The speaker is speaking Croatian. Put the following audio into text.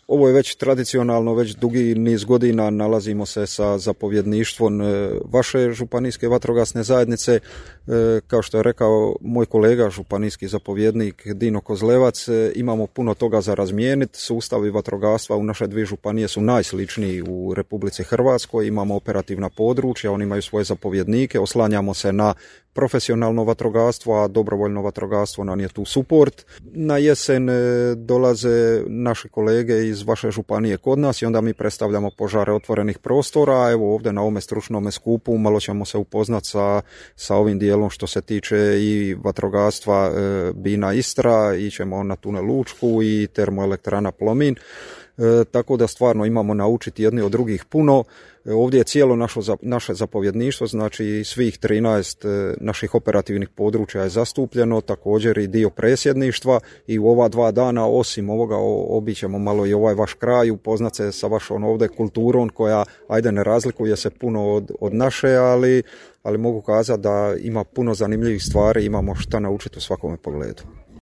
Ovo je već tradicionalno, već dugi niz godina nalazimo se sa zapovjedništvom vaše županijske vatrogasne zajednice. Kao što je rekao moj kolega, županijski zapovjednik Dino Kozlevac, imamo puno toga za razmijeniti. Sustavi vatrogastva u naše dvije županije su najsličniji u Republici Hrvatskoj. Imamo operativna područja, oni imaju svoje zapovjednike, oslanjamo se na profesionalno vatrogastvo, a dobrovoljno vatrogastvo nam je tu suport. Na jesen dolaze naši kolege iz vaše županije kod nas i onda mi predstavljamo požare otvorenih prostora. Evo ovdje na ovome stručnom skupu malo ćemo se upoznati sa ovim dijelom što se tiče i vatrogastva Bina Istra, ićemo na tunel Učku i termoelektrana Plomin. Tako da stvarno imamo naučiti jedni od drugih puno. Ovdje je cijelo naše zapovjedništvo, znači svih 13 naših operativnih područja je zastupljeno, također i dio presjedništva i u ova 2 dana osim ovoga obićemo malo i ovaj vaš kraj, upoznat se sa vašom ovdje kulturom koja ajde ne razlikuje se puno od naše, ali mogu kazati da ima puno zanimljivih stvari, imamo šta naučiti u svakome pogledu.